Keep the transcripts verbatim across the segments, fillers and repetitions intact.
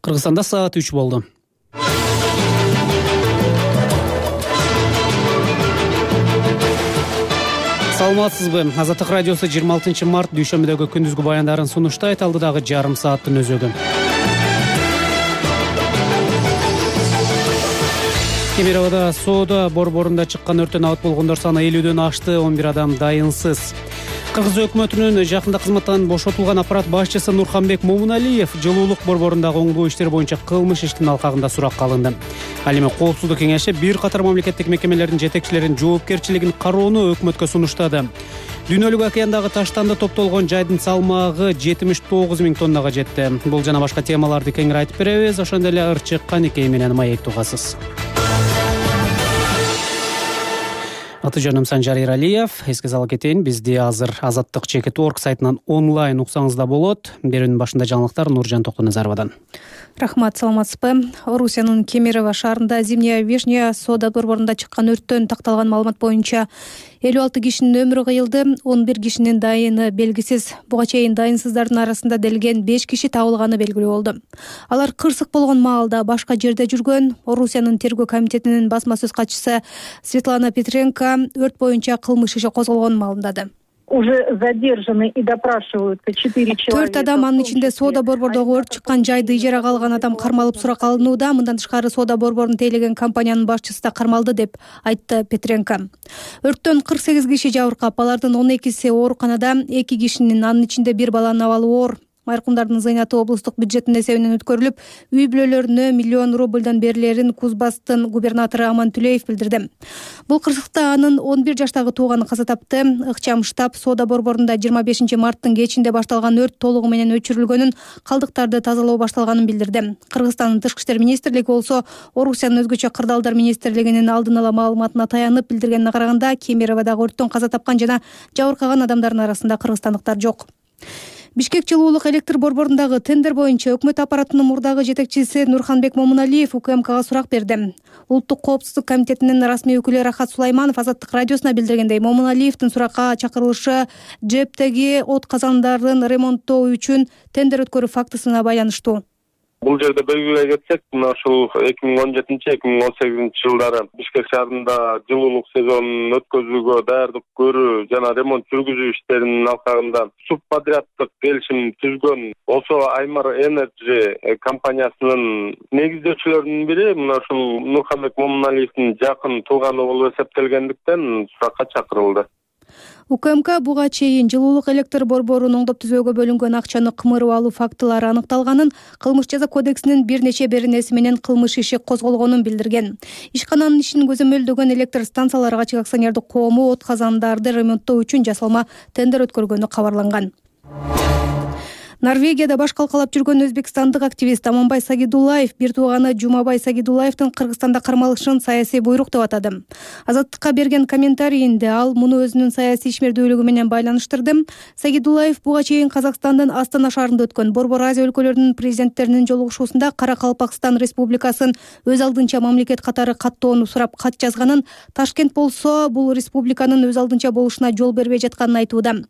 Кыргызстанда саат үч болду. Саламатсызбы? Азаттык радиосу жыйырма алтынчы март дүйшөмбүдөгү күндүзгү баяндарын сунуштайт. Алдыдагы жарым сааттын өзөгү. Кемер абада соода борборунда чыккан өрттөн абат болгондор саны элүүдөн ашты, он бир адам дайынсыз. Кыргыз өкмөтүнүн жакында кызматтан бошотулган аппарат башчысы Нурханбек Момуналиев жылуулук борборундагы оңдоо иштери боюнча кылмыш иштин алкагында суракка алынды. Ал эми Коопсуздук кеңеши бир катар мамлекеттик мекемелердин жетекчилеринин жоопкерчилигин кароону өкмөткө сунуштады. Дүйнөлүк океандагы таштанды топтолгон жайдын салмагы жетимиш тогуз миң тоннага жетти. Бул жана башка темаларды кеңири айтып беребиз. Ошондой эле ырчык Каникей менен маек угасыз. Аты жөнүм Санжар Иралиев. Эске сала кетейин, бизди азыр азаттык чекит точка орг сайтынан онлайн уксаңыз да болот. Берүүнүн башында жаңылыктар Нуржан Токтоназаровадан. Рахмат, саламатсызбы? Орусиянын Кемерово шаарында Зимняя Вишня соода борборунда чыккан өрттөн такталган маалымат боюнча элүү алты кишинин өмүрү кыйылды, он бир кишинин дайыны белгисиз. Буга чейин дайынсыздардын арасында делген беш киши табылганы белгилүү болду. Алар кырсык болгон маалда башка жерде жүргөн. Орусиянын тергөө комитетинин басма сөз катчысы Светлана Петренко өрт боюнча кылмыш иши козголгонун маалымдады. Уже задержаны и допрашиваются четыре человека. Төрт адам, анын ичинде соода борбордогу өрт чыккан жайды ижарага алган адам кармалып суракка алынууда. Мындан тышкары соода борборун тейлеген компаниянын башчысы да кармалды деп айтты Петренко. Өрттөн кырк сегиз киши жабыркап, алардын он экиси ооруканада, эки кишинин, анын ичинде бир баланын абалы оор. Майркумдардын зыйнаты облустук бюджеттин эсебинен өткөрүлүп, үй бүлөлөрүнө миллион рубльдан берилерин Кузбасстын губернатору Аман Түлеев билдирди. Бул кырсыкта анын он бир жаштагы тууганы каза тапты. Ыкчам штаб соода борборунда жыйырма бешинчи марттын кечинде башталган өрт толугу менен өчүрүлгөнүн, калдыктарды тазалоо башталганын билдирди. Кыргызстандын Тышкы иштер министрлиги болсо Орусиянын өзгөчө кырдаалдар министрлигинин алдын ала маалыматына таянып билдиргенине караганда, Кемероводогу өрттөн каза тапкан жана жабыркаган адамдардын арасында кыргызстандыктар жок. Бишкек жылуулук электр борборундагы тендер боюнча өкмөт аппаратынын мурдагы жетекчиси Нурханбек Момуналиев УКМКга сурак берди. Улуттук коопсуздук комитетинин расмий өкүлү Рахат Сулайманов Азаттык радиосуна билдиргендей, Момуналиевдин суракка чакырылышы ЖЭПтеги от казандарын ремонттоо үчүн тендер өткөрүү фактысына байланыштуу. Бул жерде белгилей кетсек, мына ушул эки миң он жетинчи эки миң он сегизинчи жылдары Бишкек шаарында жылуулук сезонун өткөзүүгө даярдык көрүү жана ремонт жүргүзүү иштеринин алкагында субподряддык келишим түзгөн Осо Аймар Энерджи компаниясынын негиздөөчүлөрүнүн бири мына ушул Нурханбек Момуналиевдин жакын тууганы болуп эсептелгендиктен суракка чакырылды. УКМК буга чейин жылуулук электр борборун оңдоп түзөөгө бөлүнгөн акчаны кымырып алуу фактылары аныкталганын, кылмыш жаза кодексинин бир нече беренеси менен кылмыш иши козголгонун билдирген. Ишкананын ишин көзөмөлдөгөн электр станциялары ачык акционердик коому от казандарды ремонттоо үчүн жасалма тендер өткөргөнү кабарланган. Норвегияда баш калкалап жүргөн өзбекстандык активист Аманбай Сагидуллаев бир тууганы Жумабай Сагидуллаевдин Кыргызстанда кармалышын саясий буйрук деп атады. Азаттыкка берген комментарийинде ал муну өзүнүн саясий ишмердүүлүгү менен байланыштырды. Сагидуллаев буга чейин Казакстандын Астана шаарында өткөн Борбор Азия өлкөлөрүнүн президенттеринин жолугушуусунда Кара-Калпакстан Республикасын өз алдынча мамлекет катары каттоону сурап кат жазганын, Ташкент болсо бул республиканын өз алдынча болушуна жол бербей жатканын айтууда.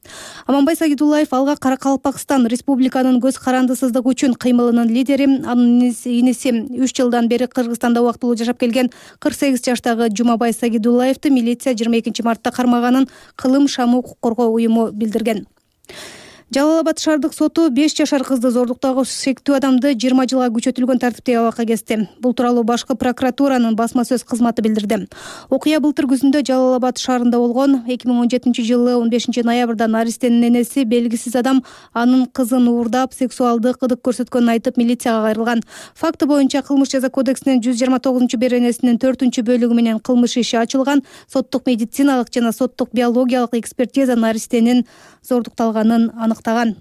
Аманбай Сагидуллаев алга Кара-Калпакстан Республикасынын Республиканын көз карандысыздыгы үчүн кыймылынын лидери, анын иниси үч жылдан бери Кыргызстанда убактылуу жашап келген кырк сегиз жаштагы Жумабай Сагидуллаевди милиция жыйырма экинчи мартта кармаганын Кылым Шамы укук коргоо уюму билдирген. Жалал-Абад шаардык соту беш жашар кызды зордуктагы шектүү адамды жыйырма жылга күчөтүлгөн тартипте абакка кести. Бул тууралуу башкы прокуратуранын басма сөз кызматы билдирди. Окуя былтыр күзүндө Жалал-Абад шаарында болгон. эки миң он жетинчи жылы он бешинчи ноябрда Наристенин энеси белгисиз адам анын кызын уурдап, сексуалдык ырдык көрсөткөнүн айтып милицияга кайрылган. Факты боюнча кылмыш жаза кодексинин жүз жыйырма тогузунчу беренесинин төртүнчү бөлүгү менен кылмыш иши ачылган. Соттук медициналык жана соттук биологиялык экспертиза Наристенин зордукталганын аныктаган.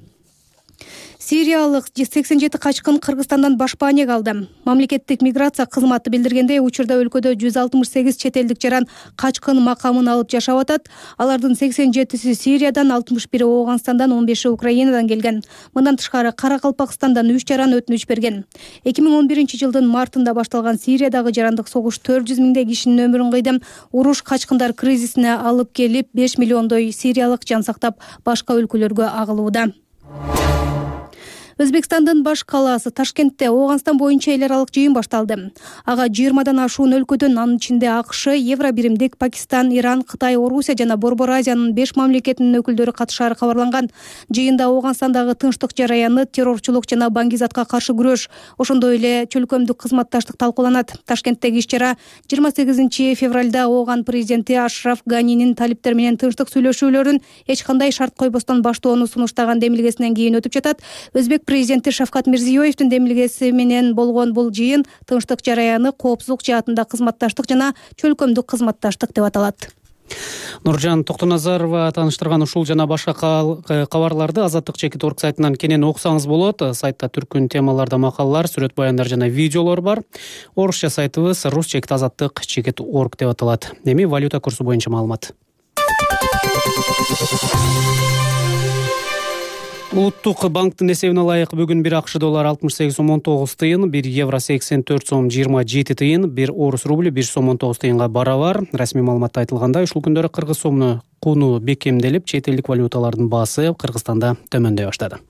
Сириялык сексен жети качкын Кыргызстандан башпанеге алды. Мамлекеттик миграция кызматы билдиргендей, учурда өлкөдө жүз алтымыш сегиз чет элдик жаран качкын макамын алып жашап атат. Алардын сексен жетиси Сириядан, алтымыш бири Ооганстандан, он беши Украинадан келген. Мындан тышкары Кара-Калпакстандан үч жаран өтүнүч берген. эки миң он биринчи жылдын мартында башталган Сириядагы жарандык согуш төрт жүз миңдей кишинин өмүрүн кыйды. Уруш качкындар кризисине алып келип, беш миллиондой сириялык жан сактап башка өлкөлөргө агылууда. Өзбекстандын баш калаасы Ташкентте Ооганстан боюнча эл аралык жыйын башталды. Ага жыйырмадан ашуун өлкөдөн, анын ичинде АКШ, Евробиримдик, Пакистан, Иран, Кытай, Орусия жана Борбор Азиянын беш мамлекетинин өкүлдөрү катышаары кабарланган. Жыйында Ооганстандагы тынчтык жараяны, террорчулук жана баңгизатка каршы күрөш, ошондой эле чөлкөмдүк кызматташтык талкууланат. Ташкенттеги иш-чара жыйырма сегизинчи февралда Ооган президенти Ашраф Ганинин талиптер менен тынчтык сүйлөшүүлөрүн эч кандай шарт койбостон баштоону сунуштаган демилгесинен кийин өтүп жатат. Өзбек президенти Шавкат Мирзиёевдин демилгеси менен болгон бул жыйын тынчтык жараяны коопсуздук жаатында кызматташтык жана чөлкөмдүк кызматташтык деп аталат. Нуржан Токтоназарова тааныштырган ушул жана башка кабарларды Азаттык чекит точка орг сайтынан кенен окусаңыз болот. Сайтта түркүн темаларда макалалар, сүрөт баяндар жана видеолор бар. Орусча сайтыбыз рус чекит азаттык чекит точка орг деп аталат. Эми валюта курсу боюнча маалымат. Улуттук банктын эсебине ылайык бүгүн бир АКШ доллары алтымыш сегиз сом он тогуз тыйын, бир евро сексен төрт сом жыйырма жети тыйын, бир орус рубль бир сом он тогуз тыйынга барабар. Расмий маалыматта айтылгандай, ушул күндөрү кыргыз сомунун кууну бекемделип, чет элдик валюталардын баасы Кыргызстанда төмөндөй баштады.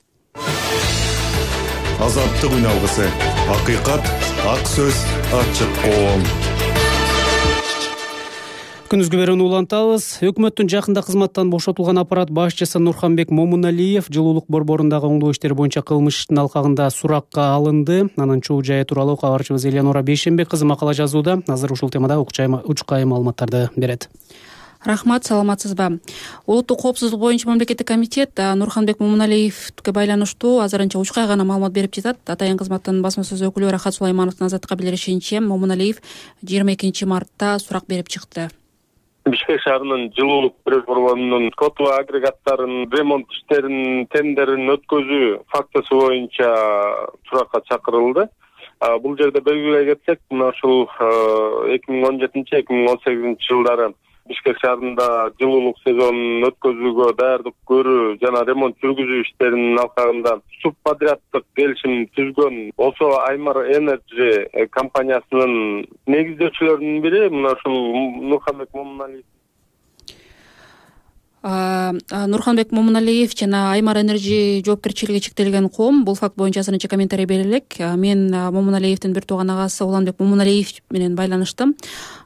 Азаттык үн алгысы. Акыйкат, ак сөз, ачык коом. Күнүзгү берүүнү улантабыз. Өкмөттүн жакында кызматтан бошотулган аппарат башчысы Нурханбек Момуналиев жылуулук борборундагы оңдоо иштери боюнча кылмыш ишинин алкагында суракка алынды. Анын чуу жайы тууралуу кабарчыбыз Элеонора Бейшенбек кызы макала жазууда. Азыр ушул темада учкай маалыматтарды берет. Рахмат, саламатсызбы? Улуттук коопсуздук боюнча мамлекеттик комитет Нурханбек Момуналиевге байланыштуу азырынча учкай гана маалымат берип жатат. Атайын кызматтын басма сөз өкүлү Рахат Сулаймановдун Азаттыкка билдиришинче, Момуналиев жыйырма экинчи мартта сурак берип чыкты. Бишкек шаарынын жылуулук борборунун коту агрегаттарын ремонт иштерин тендерин өткөзүү фактысы боюнча суракка чакырылды. Бул жерде белгилей кетсек, мына ушул эки миң он жетинчи эки миң он сегизинчи жылдары Бишкек шаарында жылуулук сезонун өткөзүүгө даярдык көрүү жана ремонт жүргүзүү иштеринин алкагында субподряддык келишим түзгөн Осо Аймар Энерджи компаниясынын негиздөөчүлөрүнүн бири мына ушул Нурханбек Момуналиев. Нурханбек Момуналиев жана Аймар Энерджи жоопкерчилиги чектелген коом бул факт боюнча азырынча комментарий бере элек. Мен Момуналиевдин бир тууган агасы Уланбек Момуналиев менен байланыштым.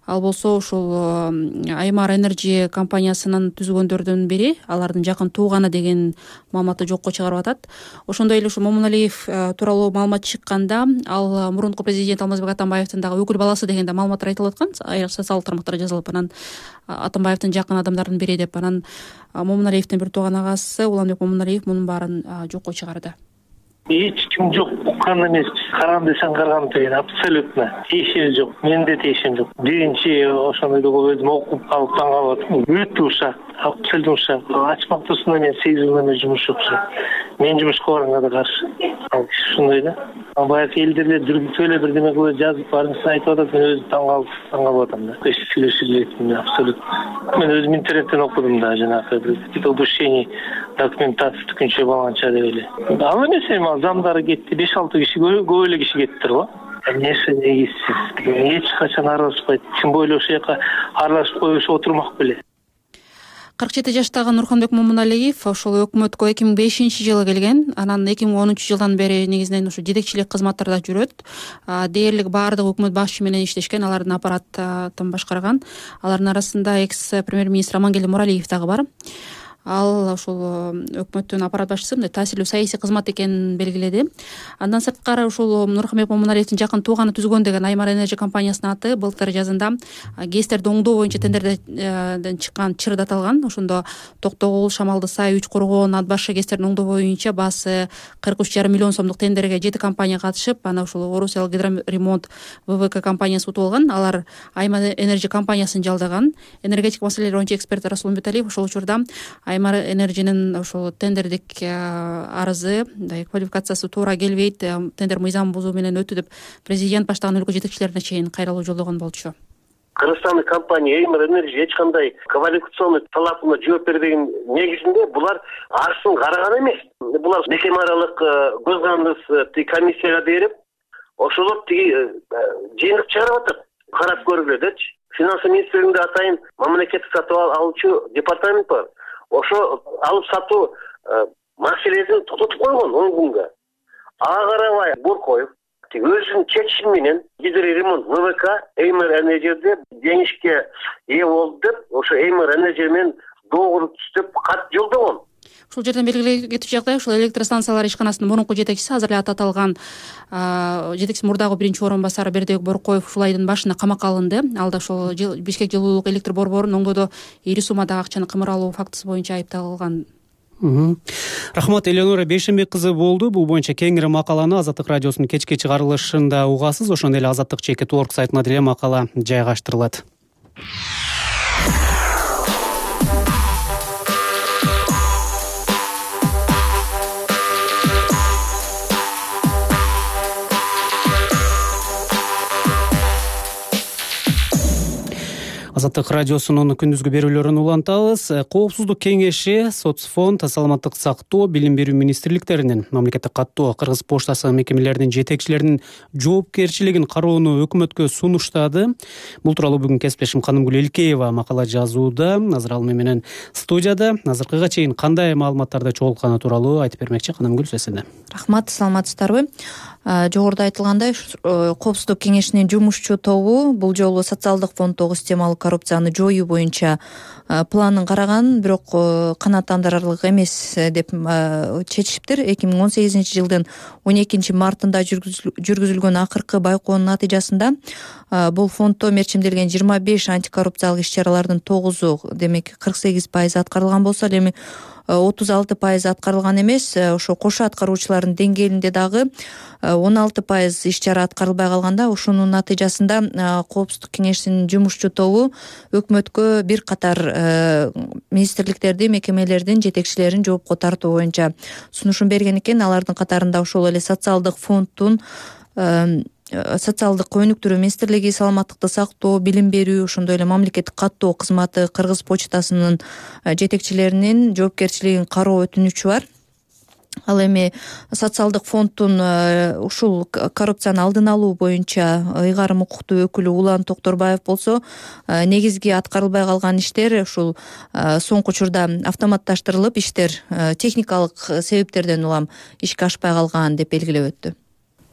Ал болсо ушул Аймар Энерджи компаниясынын түзгөндөрдүн бири, алардын жакын тууганы деген маалыматты жокко чыгарып атат. Ошондой эле ушул Момуналиев тууралуу маалымат чыкканда, ал мурунку президент Алмазбек Атамбаевдин дагы өкүл баласы деген да маалыматтар айтылып аткан, айрыкча социалдык тармактарда жазылып, анан Атамбаевдин жакын адамдарынын бири деп, анан Момуналиевдин бир тууган агасы Уланбек Момуналиев мунун баарын жокко чыгарды. Эч ким жок, уккан эмес, карган десең карган деген абсолютно тиешеси жок, менде тиешем жок. Биринчи ошондойду өзүм окуп калып таң калып атам. Өтө ушак, абсолютно ушак. Ачмак турсунда мен сегиз жылдан бери жумуш жок. Мен жумушка барганга да каршы. Ал киши ушундай да. Баягы элдерге дүргүтүп эле бирдеме кылып жазып баарынчасын айтып атат, мен өзүм таң калып таң калып атам да. Эч сүйлөшүп элем абсолютно. Мен өзүм интернеттен окудум да, жанагы обучение документация түкүнчө баланча деп эле. Ал эмес эми замдары кетти, беш алты киши, көп эле киши кеттир го. Эмнеси негизсиз. Эч качан аралашпайт. Тим более ошол жака аралашып коюш отурмак беле. кырк жети жаштагы Нурханбек Момуналиев ошол өкмөткө эки миң бешинчи жылы келген. Анан эки миң онунчу жылдан бери негизинен ушу жетекчилик кызматтарда жүрөт. Дээрлик баардык өкмөт башчы менен иштешкен, алардын аппараттын башкарган. Алардын арасында экс премьер-министр Амангелди Муралиев дагы бар. Ал ушул өкмөттүн аппарат башчысы мындай таасирлүү саясий кызмат экенин белгиледи. Андан сырткары ушул Нурханбек Момуналиевдин жакын тууганы түзгөн деген Аймар Энерджи компаниясынын аты былтыр жазында ГЭСтерди оңдоо боюнча тендерден чыккан чырды аталган. Ошондо Токтогул, Шамалды Сай, Үч Коргоо, Надбашы ГЭСтерин оңдоо боюнча баасы кырк үч жарым миллион сомдук тендерге жети компания катышып, ана ушул Орусиялык гидроремонт ВВК компаниясы утуп алган. Алар Аймар Энерджи компаниясын жалдаган. Энергетик маселелер боюнча эксперт Расул Умбеталиев ошол учурда Аймар Энерджинин ошол тендердик арызы, квалификациясы туура келбейт, тендер мыйзам бузуу менен өтү деп президент баштаган өлкө жетекчилерине чейин кайрылуу жолдогон болчу. Кыргызстандык компания Аймар Энерджи эч кандай квалификационный талабына жооп бербеген негизинде булар арызын караган эмес. Булар мекеме аралык көз карандысыз комиссияга берип, ошолор тиги жыйынтык чыгарып атат. Карап көргүлө дечи. Финанс министрлигинде атайын мамлекеттик сатып алуучу департамент бар. Ошо алып сатуу маселесин тототуп койгон он күнгө. ага карабай Боркоев өзүнүн чечими менен гидроремонт ВВК Эймер Энержиде жеңишке ээ болду деп ошо Эймер Энержи менен доогор түзүп кат жолдогон. Ушул жерден белгилей кетүү жагдай ушул электростанциялар ишканасынын мурунку жетекчиси азыр эле аты аталган жетекчиси мурдагы биринчи орун басары Бердибек Боркоев ушул айдын башында камакка алынды. Ал да ошол Бишкек жылуулук электр борборунун оңдоодо ири суммадагы акчаны кымыралуу фактысы боюнча айыпталган. Рахмат, Элеонора Бейшенбек кызы болду. Бул боюнча кеңири макаланы Азаттык радиосунун кечки чыгарылышында угасыз. Ошондой эле Азаттык чеки торг сайтына деле макала жайгаштырылат. Азаттык радиосунун күндүзгү берүүлөрүн улантабыз. Коопсуздук кеңеши, Соцфонд, Саламаттык сактоо, Билим берүү министрликтеринин, Мамлекеттик каттоо, Кыргыз поштасы мекемелеринин жетекчилеринин жоопкерчилигин кароону өкмөткө сунуштады. Бул тууралуу бүгүн кесиптешим Канымгүл Элкеева макала жазууда. Азыр ал менен студияда. Азыркыга чейин кандай маалыматтарды чогултканы тууралуу айтып бермекчи. Канымгүл, сөз сенде. Рахмат, саламатсыздарбы? Жогоруда айтылгандай, Коопсуздук кеңешинин жумушчу тобу бул жолу социалдык фонддогу системалык коррупцияны жоюу боюнча планын караган, бирок канааттандырарлык эмес деп чечишиптир. эки миң он сегизинчи жылдын он экинчи мартында жүргүзүлгөн акыркы байкоонун натыйжасында бул фонддо мерчимделген жыйырма беш антикоррупциялык иш-чаралардын тогузу, демек кырк сегиз пайыз аткарылган болсо, эми отуз алты пайыз аткарылган эмес. Ошо кошо аткаруучулардын деңгээлинде дагы он алты пайыз иш-чара аткарылбай калганда, ушунун натыйжасында Коопсуздук кеңешинин жумушчу тобу өкмөткө бир катар министрликтерди, мекемелердин жетекчилерин жоопко тартуу боюнча сунушун берген экен. Алардын катарында ошол эле социалдык фонддун, социалдык өнүктүрүү министрлиги, саламаттыкты сактоо, билим берүү, ошондой эле мамлекеттик каттоо кызматы, Кыргыз почтасынын жетекчилеринин жоопкерчилигин кароо өтүнүчү бар. Ал эми социалдык фонддун ушул коррупцияны алдын алуу боюнча ыйгарым укуктуу өкүлү Улан Токторбаев болсо, негизги аткарылбай калган иштер ушул соңку учурда автоматташтырылып, иштер техникалык себептерден улам ишке ашпай калган деп белгилеп өттү.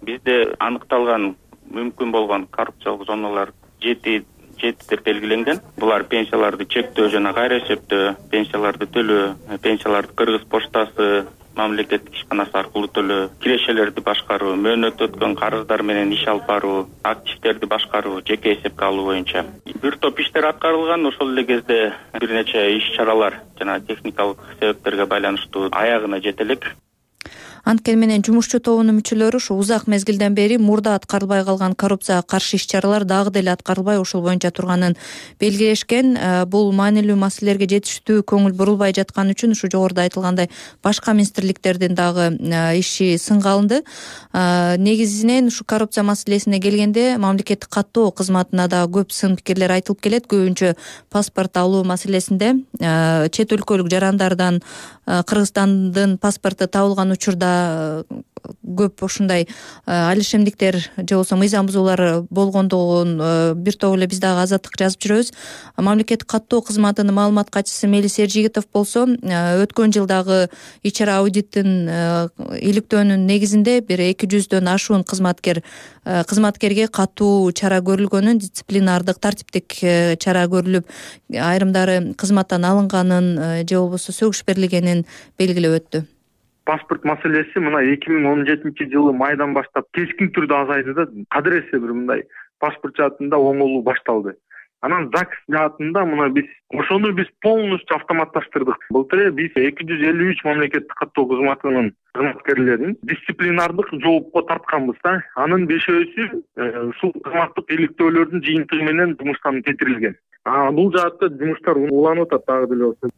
Бизде аныкталган мүмкүн болгон коррупциялык зоналар жети жети деп белгиленген. Булар пенсияларды чектөө жана кайра эсептөө, пенсияларды төлөө, пенсияларды Кыргыз поштасы мамлекеттик ишканасы аркылуу төлөө, кирешелерди башкаруу, мөөнөт өткөн карыздар менен иш алып баруу, активдерди башкаруу, жеке эсепке алуу боюнча бир топ иштер аткарылган. Ошол эле кезде бир нече иш-чаралар жана техникалык себептерге байланыштуу аягына жете элек. Анткени менен жумушчу тобунун мүчөлөрү ушу узак мезгилден бери мурда аткарылбай калган коррупцияга каршы иш-чаралар дагы деле аткарылбай ушул боюнча турганын белгилешкен. Бул маанилүү маселелерге жетиштүү көңүл бурулбай жаткан үчүн ушу жогоруда айтылгандай башка министрликтердин дагы иши сынга алынды. Негизинен ушу коррупция маселесине келгенде мамлекеттик каттоо кызматына да көп сын пикирлер айтылып келет. Көбүнчө паспорт алуу маселесинде чет өлкөлүк жарандардан Кыргызстандын паспорту табылган учурда көп ушундай алишемдиктер же болбосо мыйзам бузуулар болгондугун бир топ эле биз дагы Азаттык жазып жүрөбүз. Мамлекеттик каттоо кызматынын маалымат катчысы Мелис Эржигитов болсо, өткөн жылдагы ич-чара аудиттин иликтөөнүн негизинде бир эки жүздөн ашуун кызматкер кызматкерге катуу чара көрүлгөнүн, дисциплинардык, тартиптик чара көрүлүп, айрымдары кызматтан алынганын же болбосо сөгүш берилгенин белгилеп өттү. Паспорт маселеси мына эки миң он жетинчи жылы майдан баштап кескин түрдө азайды да, кадыресе бир мындай паспорт жаатында оңолуу башталды. Анан ЗАГС жаатында мына биз ошону биз полностью автоматташтырдык. Былтыр биз эки жүз элүү үч мамлекеттик каттоо кызматынын кызматкерлерин дисциплинардык жоопко тартканбыз да. Анын бешөөсү ушул кызматтык иликтөөлөрдүн жыйынтыгы менен жумуштан кетирилген. А бул жаатта жумуштар уланып атат дагы деле болсо.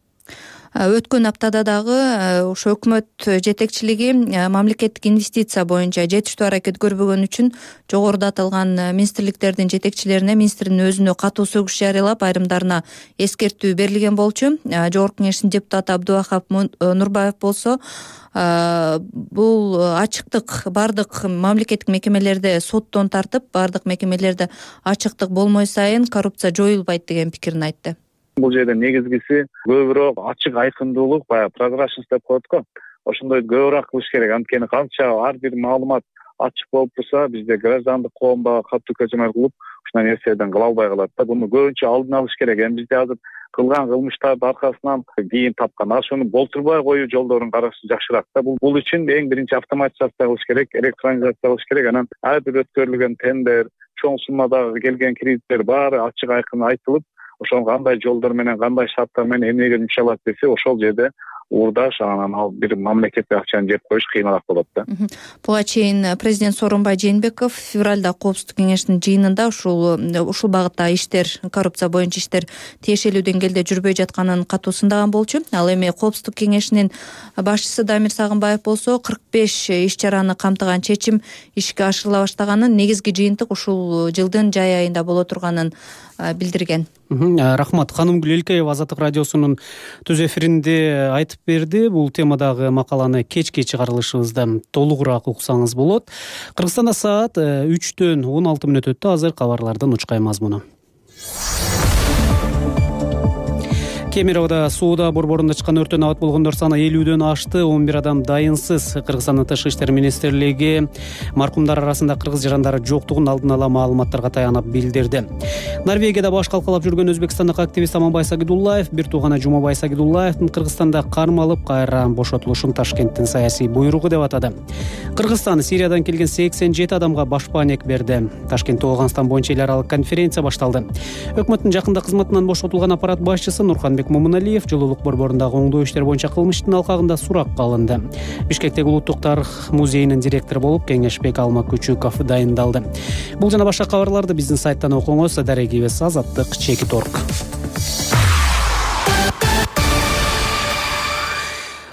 Өткөн аптада дагы ошо өкмөт жетекчилиги мамлекеттик инвестиция боюнча жетиштүү аракет көрбөгөн үчүн жогоруда аталган министрликтердин жетекчилерине министрдин өзүнө катуу сөгүш жарыялап, айрымдарына эскертүү берилген болчу. Жогорку кеңештин депутаты Абдубахап Нурбаев болсо, бул ачыктык бардык мамлекеттик мекемелерде соттон тартып, бардык мекемелерде ачыктык болмой сайын коррупция жоюлбайт деген пикирин айтты. Бул жерде негизгиси көбүрөөк ачык айкындуулук, баягы прозрачность деп коет го. ошондой көбүрөөк кылыш керек. Анткени канча ар бир маалымат ачык болуп турса, бизде граждандык коомго катуу көчөмөл кылып ушундай нерселерден кыла албай калат да. Буну көбүнчө алдын алыш керек. Эми бизде азыр кылган кылмыштардын аркасынан кийин тапкан ошону болтурбай коюу жолдорун караш жакшыраак да. Бул бул үчүн эң биринчи автоматизация кылыш керек, электронизация кылыш керек. Анан ар бир өткөрүлгөн тендер, чоң суммадагы келген кредиттер баары ачык айкын айтылып, ошол кандай жолдор менен, кандай шарттар менен эмнеге жумшалат десе, ошол жерде уурдаш, анан ал бир мамлекетке акчаны жеп коюш кыйыныраак болот да. Буга чейин президент Сооронбай Жээнбеков февралда Коопсуздук кеңешинин жыйынында ушул ушул багытта иштер, коррупция боюнча иштер тиешелүү деңгээлде жүрбөй жатканын катуу сындаган болчу. Ал эми Коопсуздук кеңешинин башчысы Дамир Сагынбаев болсо кырк беш иш-чараны камтыган чечим ишке ашырыла баштаганын, негизги жыйынтык ушул жылдын жай айында боло турганын билдирген. Рахмат. Ханымгүл Элкеева Азаттык радиосунун түз эфиринде айтып берди. Бул темадагы макаланы кечки чыгарылышыбызда толугураак уксаңыз болот. Кыргызстанда саат үчтөн он алты мүнөт өттү. Азыр кабарлардын учкай мазмуну. Кемеровдо сууда борборунда чыккан өрттөн абат болгондор саны элүүдөн ашты. он бир адам дайынсыз. Кыргызстандын Тышкы иштер министрлиги маркумдар арасында кыргыз жарандары жоктугун алдын ала маалыматтарга таянып билдирди. Норвегияда баш калкалап жүргөн өзбекстандык активист Аманбай Сагидуллаев бир тууганы Жумабай Сагидуллаевдин Кыргызстанда кармалып кайра бошотулушун Ташкенттин саясий буйругу деп атады. Кыргызстан Сириядан келген сексен жети адамга башпаанек берди. Ташкентте Ооганстан боюнча эл аралык конференция башталды. Өкмөттүн жакында кызматынан бошотулган аппарат башчысы Нурханбек Момуналиев жылуулук борборундагы оңдоо иштер боюнча кылмыштын алкагында суракка алынды. Бишкектеги Улуттук тарых музейинин директору болуп Кеңешбек Алма Күчүков дайындалды. Бул жана башка кабарларды биздин сайттан окуңуз. Дарегибиз Азаттык чекит орг.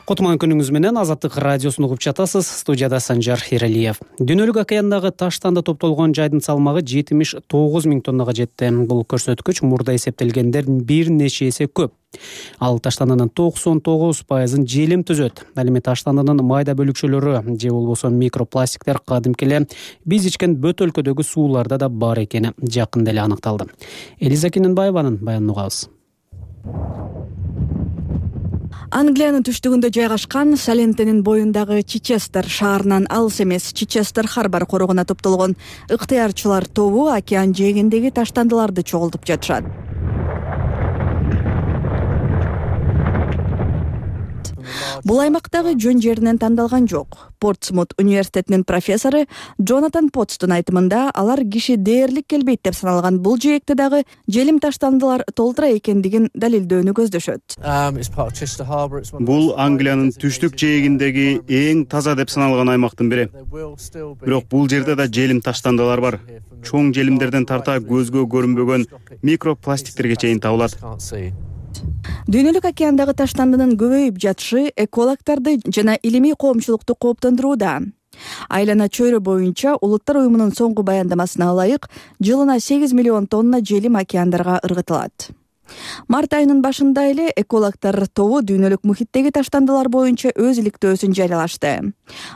Котман күнүңүз менен Азаттык радиосун угуп жатасыз. Студияда Санжар Эралиев. Дүйнөлүк океандагы таштанда топтолгон жайдын салмагы жетимиш тогуз миң тоннага жетти. Бул көрсөткүч мурда эсептелгенден бир нече эсе көп. Ал таштандынын токсон тогуз пайызын желим түзөт. Ал эми таштандынын майда бөлүкчөлөрү же болбосо микропластиктер кадимки эле биз ичкен бөтөлкөдөгү сууларда да бар экени жакында эле аныкталды. Элиза Кененбаеванын баянын угабыз. Англиянын түштүгүндө жайгашкан Салентенин боюндагы Чичестер шаарынан алыс эмес Чичестер Харбар корогуна топтолгон ыктыярчылар тобу океан жээгиндеги таштандыларды чогултуп жатышат. Бул аймактагы жөн жеринен тандалган жок. Портсмут университетинин профессору Джонатан Потстун айтымында алар киши дээрлик келбейт деп саналган бул жээкте дагы желим таштандылар толтура экендигин далилдөөнү көздөшөт. Бул Англиянын түштүк жээгиндеги эң таза деп саналган аймактын бири. Бирок бул жерде да желим таштандылар бар. Чоң желимдерден тарта көзгө көрүнбөгөн микропластиктерге чейин табылат. Дүйнөлүк океандагы таштандынын көбөйүп жатышы экологдорду жана илимий коомчулукту кооптондурууда. Айлана чөйрө боюнча Улуттар уюмунун соңку баяндамасына ылайык жылына сегиз миллион тонна желим океандарга ыргытылат. Март айынын башында эле экологдор тобу дүйнөлүк мухиттеги таштандылар боюнча өз иликтөөсүн жарыялашты.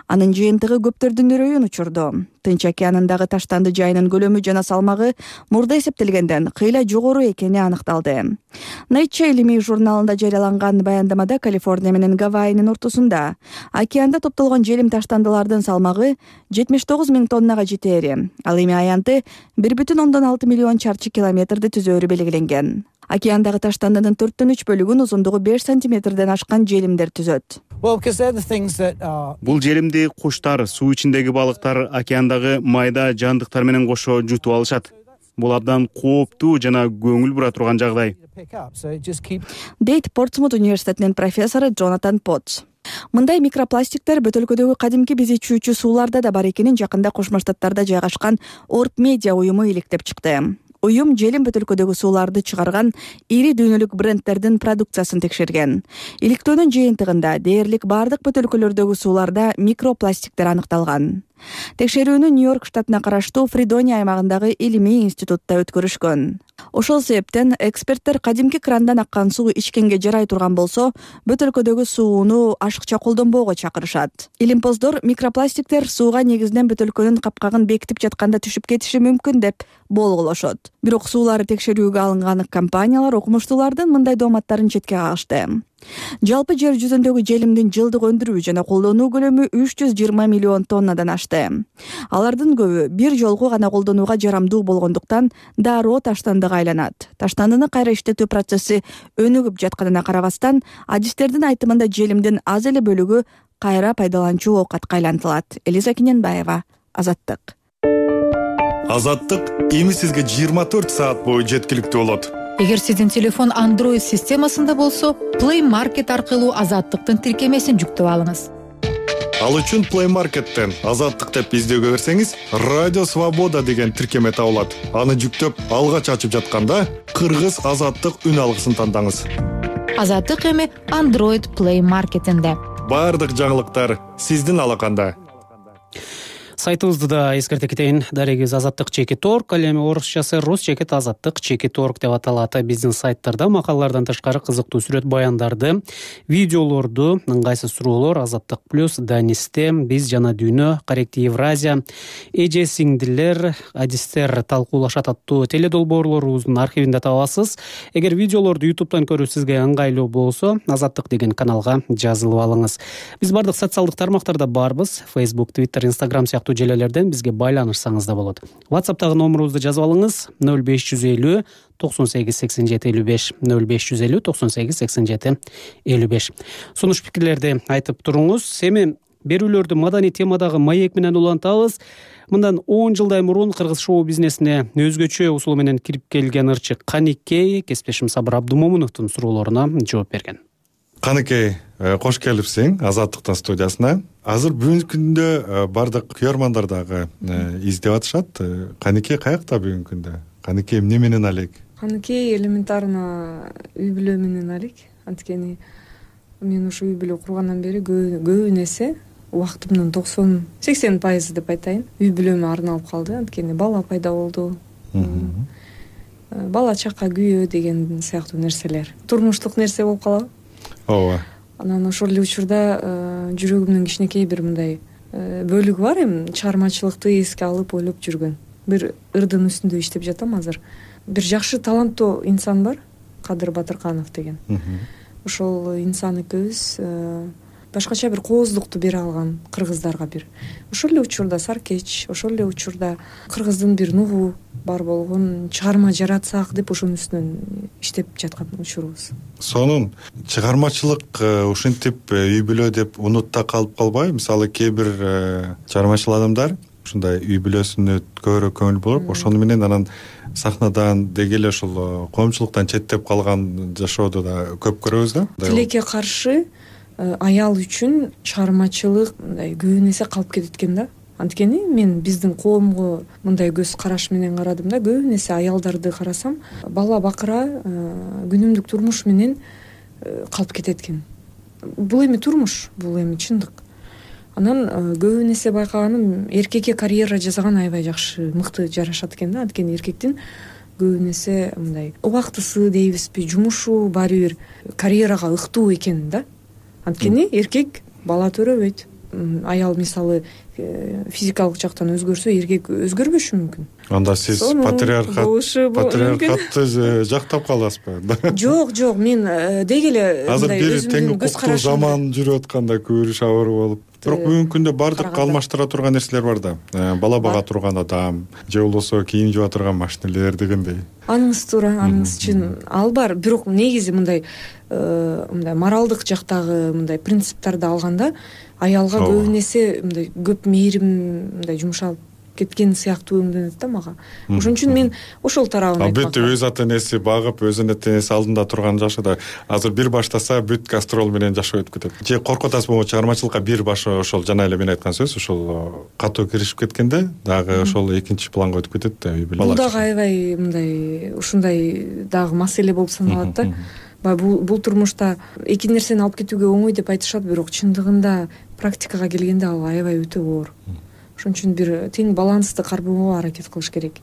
Анын жыйынтыгы көптөрдүн үрөйүн учурду. Тынч океанындагы таштанды жайынын көлөмү жана салмагы мурда эсептелгенден кыйла жогору экени аныкталды. Nature илимий журналында жарыяланган баяндамада Калифорния менен Гавайинин ортосунда океанда топтолгон желим таштандылардын салмагы жетимиш тогуз миң тоннага жетери. Ал эми аянты бир бүтүн ондон алты миллион чарчы километрди түзөөрү белгиленген. Океандагы таштандынын төрттөн үч бөлүгүн узундугу беш сантиметрден ашкан желимдер түзөт. Бул желимди куштар, суу ичиндеги балыктар, океандагы майда жандыктар менен кошо жутуп алышат. Бул абдан кооптуу жана көңүл бура турган жагдай. Дейт Портсмут университетинин профессору Джонатан Потс. Мындай микропластиктер бөтөлкөдөгү кадимки биз ичүүчү сууларда да бар экенин жакында Кошмо Штаттарда жайгашкан Орб Медиа уюму иликтеп чыкты. Уюм желим бөтөлкөдөгү сууларды чыгарган ири дүйнөлүк брендтердин продукциясын текшерген. Иликтөөнүн жыйынтыгында дээрлик бардык бөтөлкөлөрдөгү сууларда микропластиктер аныкталган. Текшерүүнү Нью-Йорк штатына караштуу Фридония аймагындагы илимий институтта өткөрүшкөн. Ошол себептен эксперттер кадимки крандан аккан суу ичкенге жарай турган болсо, бөтөлкөдөгү сууну ашыкча колдонбоого чакырышат. Илимпоздор микропластиктер сууга негизинен бөтөлкөнүн капкагын бекитип жатканда түшүп кетиши мүмкүн деп болгулошот. Бирок суулары текшерүүгө алынган компаниялар окумуштуулардын мындай дооматтарын четке кагышты. Жалпы жер жүзүндөгү желимдин жылдык өндүрүү жана колдонуу көлөмү үч жүз жыйырма миллион тоннадан ашты. Алардын көбү бир жолку гана колдонууга жарамдуу болгондуктан дароо таштандыга айланат. Таштандыны кайра иштетүү процесси өнүгүп жатканына карабастан, адистердин айтымында желимдин аз эле бөлүгү кайра пайдаланчу оокатка айлантылат. Элиза Кененбаева, Азаттык. Азаттык эми сизге жыйырма төрт саат бою жеткиликтүү болот. Эгер сиздин телефон Android системасында болсо, Play Market аркылуу Азаттыктын тиркемесин жүктөп алыңыз. Ал үчүн Play Market'тен Азаттык деп издөөгө берсеңиз, Радио Свобода деген тиркеме табылат. Аны жүктөп, алгач ачып жатканда Кыргыз Азаттык үн алгысын тандаңыз. Азаттык эми Android Play Market'инде. Бардык жаңылыктар сиздин алаканда. Сайтыбызды да эскерте кетейин. Дарегиз азаттык чекит точка орг, ал эми орусчасы рус чекит азаттык чекит точка орг деп аталат. Биздин сайттарда макалалардан тышкары кызыктуу сүрөт баяндарды, видеолорду, ыңгайсыз суроолор, Азаттык плюс, Данисте, Биз жана дүйнө, Корректи Евразия, Эже сиңдилер, адистер талкуулашат аттуу теледолбоорлорубуздун архивинде табасыз. Эгер видеолорду ютубтан көрүү сизге ыңгайлуу болсо, Азаттык деген каналга жазылып алыңыз. Биз бардык социалдык тармактарда барбыз. Facebook, Twitter, Instagram сыяктуу желелерден бизге байланышсаңыз да болот. WhatsApp'тагы номерубузду жазып алыңыз: ноль беш жүз элүү токсон сегиз сексен жети элүү беш, ноль беш жүз элүү токсон сегиз сексен жети элүү беш. Сунуш пикирлерди айтып туруңуз. Эми берүүлөрдү маданий темадагы маек менен улантабыз. Мындан он жылдай мурун кыргыз шоу бизнесине өзгөчө усулу менен кирип келген ырчы Каникей кесиптешим Сабыр Абдумомуновдун суроолоруна жооп берген. Каникей, кош келипсиң Азаттыктын студиясына. Азыр бүгүнкү күндө бардык күйөрмандар дагы издеп атышат. Каникей каякта бүгүнкү күндө? Каникей эмне менен алек? Каникей элементарно үй бүлө менен алек. Анткени мен ушу үй бүлө кургандан бери көбүн эсе убактымдын токсон сексен пайызы деп айтайын үй бүлөмө арналып калды. Анткени бала пайда болду. Бала чака күйөө деген сыяктуу нерселер. Турмуштук нерсе болуп калабы? Ооба. Анан ошол эле учурда жүрөгүмдүн кичинекей бир мындай бөлүгү бар. Эми чыгармачылыкты эске алып ойлоп жүргөн. Бир ырдын үстүндө иштеп жатам азыр. Бир жакшы таланттуу инсан бар, Кадыр Батырканов деген. Ошол инсан экөөбүз башкача бир кооздукту бере алган кыргыздарга бир. Ошол эле учурда Саркеч, ошол эле учурда кыргыздын бир нугу бар болгон чыгарма жаратсак деп ошонун үстүнөн иштеп жаткан учурубуз. Сонун чыгармачылык ушинтип үй бүлө деп унутта калып калбайбы? Мисалы кээ бир чыгармачыл адамдар ушундай үй бүлөсүнө көбүрөөк көңүл буруп, ошону менен анан сахнадан деги эле ошол коомчулуктан четтеп калган жашоодо да көп көрөбүз да. Тилекке каршы аял үчүн чыгармачылык мындай көбүн эсе калып кетет экен да. Анткени мен биздин коомго мындай көз караш менен карадым да, көбүн эсе аялдарды карасам, бала бакыра, күнүмдүк турмуш менен калып кетет экен. Бул эми турмуш, бул эми чындык. Анан көбүн эсе байкаганым, эркекке карьера жасаган аябай жакшы, мыкты жарашат экен да. Анткени эркектин көбүн эсе мындай убактысы дейбизби, жумушу баары бир карьерага ыктуу экен да. Анткени эркек бала төрөбөйт. Аял мисалы физикалык жактан өзгөрсө, эркек өзгөрбөшү мүмкүн. Анда сиз патриархат патриархатты жактап каласызбы? Жок, жок, мен деги эле азыр бир тең укуктуу заман жүрүп атканда көрүш абыр болуп. Бирок бүгүнкү күндө бардык алмаштыра турган нерселер бар да. Бала бага турган адам, же болбосо кийим жууа турган машинелер дегендей. Аныңыз туура, аныңыз чын. Ал бар, бирок негизи мындай мындай моралдык жактагы мындай принциптарды алганда аялга көбүн эсе мындай көп мээрим мындай жумшалып кеткен сыяктуу өңдөнөт да мага. Ошон үчүн мен ошол тарабын айтмак. Албетте өз ата энеси багып, өз ата энеси алдында турган жашыда азыр бир баштаса бүт гастрол менен жашоо өтүп кетет. Же коркуп атасызбы, чыгармачылыкка бир башы ошол жана эле мен айткан сөз, ошол катуу киришип кеткенде дагы ошол экинчи планга өтүп кетет да үй бүлө. Бул дагы аябай мындай ушундай дагы маселе болуп саналат да. Бул бул турмушта эки нерсени алып кетүүгө оңой деп айтышат, бирок чындыгында практикага келгенде ал аябай өтө оор. Ошон үчүн бир тең балансты кармоого аракет кылыш керек.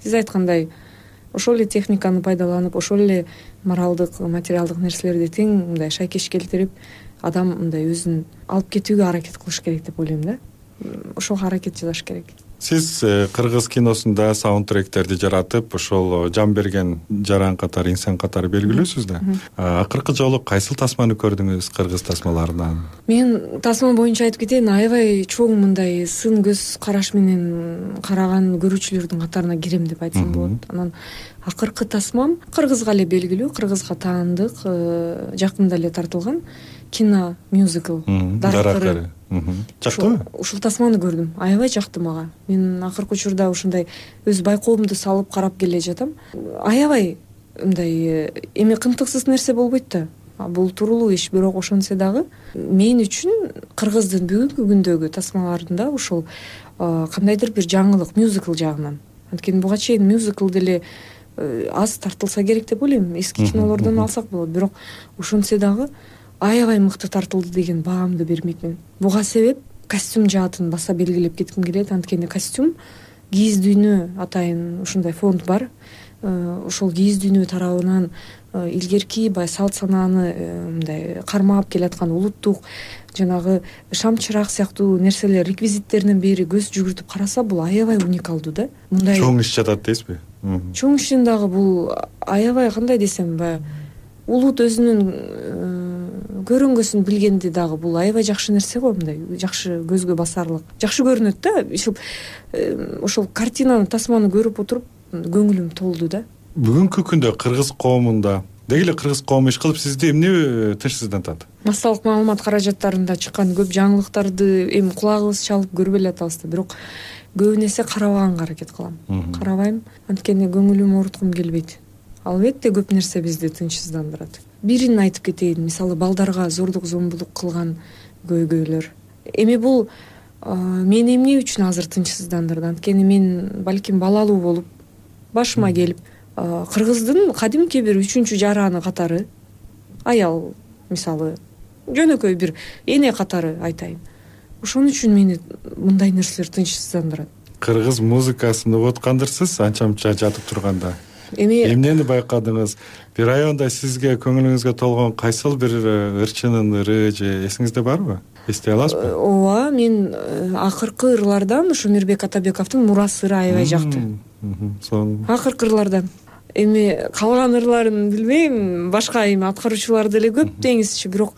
Сиз айткандай, ошол эле техниканы пайдаланып, ошол эле моралдык, материалдык нерселерди тең мындай шайкеш келтирип, адам мындай өзүн алып кетүүгө аракет кылыш керек деп ойлойм да. Ошого аракет жасаш керек. сиз кыргыз киносунда саундтректерди жаратып ошол жан берген жаран катары инсан катары белгилүүсүз да. Акыркы жолу кайсыл тасманы көрдүңүз кыргыз тасмаларынан? Мен тасма боюнча айтып кетейин, аябай чоң мындай сын көз караш менен караган көрүүчүлөрдүн катарына кирем деп айтсам болот. Анан акыркы тасмам кыргызга эле белгилүү, кыргызга таандык, жакында эле тартылган кино мюзикл Даракыры. Жактыбы? Ушул тасманы көрдүм. Аябай жакты мага. Мен акыркы учурда ушундай өз байкоомду салып карап келе жатам. Аябай мындай эми кымтыксыз нерсе болбойт да. Бул тууралуу иш, бирок ошентсе дагы мен үчүн кыргыздын бүгүнкү күндөгү тасмаларында ушул кандайдыр бир жаңылык мюзикл жагынан. Анткени буга чейин мюзикл деле аз тартылса керек деп ойлойм. Эски кинолордон алсак болот, бирок ошентсе дагы аябай мыкты тартылды деген баамды бермек мен. Буга себеп костюм жаатын баса белгилеп кетким келет. Анткени костюм кийиз дүйнө атайын ушундай фонд бар. Ошол кийиз дүйнө тарабынан илгерки бай салт санааны мындай кармап келаткан улуттук жанагы шам чырак сыяктуу нерселер реквизиттеринен бери көз жүгүртүп караса, бул аябай уникалдуу да. Мындай чоң иш жатат дейсизби? Чоң ишин дагы бул аябай кандай десем, баягы улут өзүнүн көрөнгөсүн билгенди дагы бул аябай жакшы нерсе го, мындай жакшы көзгө басарлык. Жакшы көрүнөт да. Ошол картинаны, тасманы көрүп отуруп көңүлүм толду да. Бүгүнкү күндө кыргыз коомунда деги эле кыргыз коому иш кылып сизди эмне тынчсыздантат? Массалык маалымат каражаттарында чыккан көп жаңылыктарды эми кулагыбыз чалып көрбөй эле атабыз да, бирок көбүн эсе карабаганга аракет кылам. Карабайм, анткени көңүлүмө ооруткум келбейт. Албетте көп нерсе бизди тынчсыздандырат. Бирин айтып кетейин, мисалы балдарга зордук зомбулук кылган көйгөйлөр. Эми бул мени эмне үчүн азыр тынчсыздандырды? Анткени мен балким балалуу болуп башыма келип кыргыздын кадимки бир үчүнчү жараны катары аял, мисалы жөнөкөй бир эне катары айтайын. Ошон үчүн мени мындай нерселер тынчсыздандырат. Кыргыз музыкасын угуп аткандырсыз анча-мынча жатып турганда? Эми эмнени байкадыңыз? Бир районда сизге көңүлүңүзгө толгон кайсыл бир ырчынын ыры же эсиңизде барбы? Эстей аласызбы? Ооба, мен акыркы ырлардан ушу Мирбек Атабековдун Мурас ыры аябай жакты. Акыркы ырлардан. Эми калган ырларын билбейм, башка эми аткаруучулар деле көп деңизчи, бирок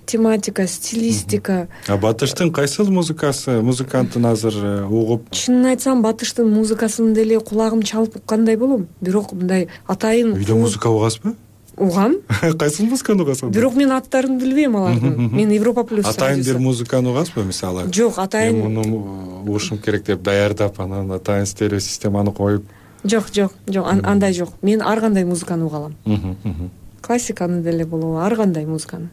тематика, стилистика. А Батыштын кайсыл музыкасы, музыкантын азыр угуп? Чынын айтсам, Батыштын музыкасын деле кулагым чалып уккандай болом. Бирок мындай атайын үйдө музыка угасызбы? Угам. Кайсыл музыканы угасыз? Бирок мен аттарын билбейм алардын. Мен Европа плюс. Атайын бир музыканы угасызбы, мисалы? Жок, атайын. Мен муну угушум керек деп даярдап, анан атайын стерео системаны коюп. Жок, жок, жок, андай жок. Мен ар кандай музыканы угалам. Классиканы деле болобу, ар кандай музыканы.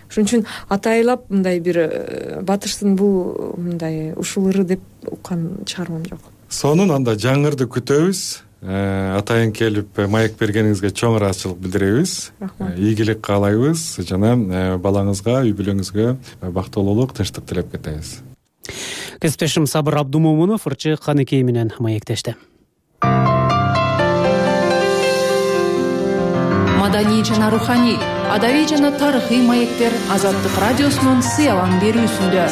Ошон үчүн атайлап мындай бир Батыштын бул мындай ушул ыры деп уккан чыгармам жок. Сонун анда жаңырды күтөбүз. Атайын келип маек бергениңизге чоң ыраазычылык билдиребиз. Ийгилик каалайбыз жана балаңызга, үй бүлөңүзгө бактылуулук, тынчтык тилеп кетебиз. Кесиптешим Сабыр Абдумомунов ырчы Каныкей менен маектешти. Маданий жана руханий, адабий жана тарыхый маектер Азаттык радиосунун сыялан берүүсүндө.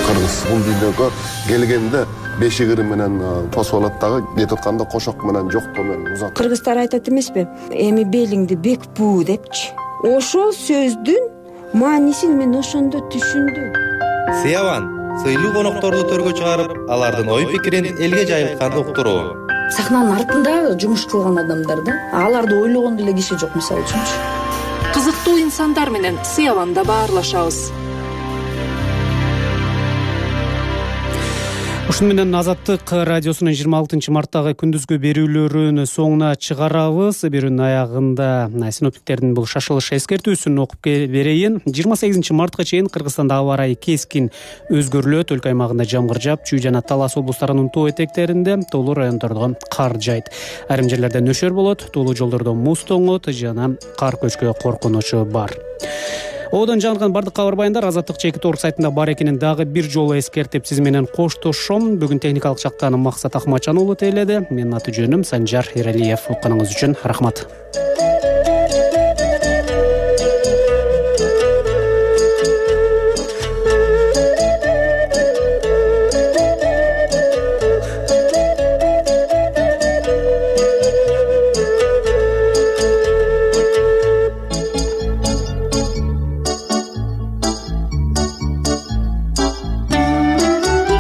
Кыргыз бул дүйнөгө келгенде бешик ыры менен тосуп алат дагы, кетип атканда кошок менен жоктоо менен узат. Кыргыздар айтат эмеспи? Эми белиңди бек буу депчи. Ошол сөздүн маанисин мен ошондо түшүндүм. Сыялан сыйлуу конокторду төргө чыгарып, алардын ой пикирин элге жайылткан уктуруу. Сахнанын артында жумуш кылган адамдар да, аларды ойлогон деле киши жок, мисалы үчүнчү. Кызыктуу инсандар менен сыяланда баарлашабыз. Ушуну менен Азаттык радиосунун жыйырма алтынчы марттагы күндүзгү берүүлөрүн соңуна чыгарабыз. Берүүнүн аягында синоптиктердин бул шашылыш эскертүүсүн окуп берейин. жыйырма сегизинчи мартка чейин Кыргызстанда аба ырайы кескин өзгөрүлөт. Өлкө аймагында жамгыр жаап, Чүй жана Талас облустарынын тоо этектеринде, тоолуу райондордо кар жайт. Айрым жерлерде нөшөр болот, тоолуу жолдордо муз тоңот жана кар көчкү коркунучу бар. Оодон жаңырган бардык кабар баяндар Азаттык чекит орг сайтында бар экенин дагы бир жолу эскертип сиз менен коштошом. Бүгүн техникалык жактан Максат Акматжан уулу тейледи. Менин аты жөнүм Санжар Эралиев. Укканыңыз үчүн рахмат.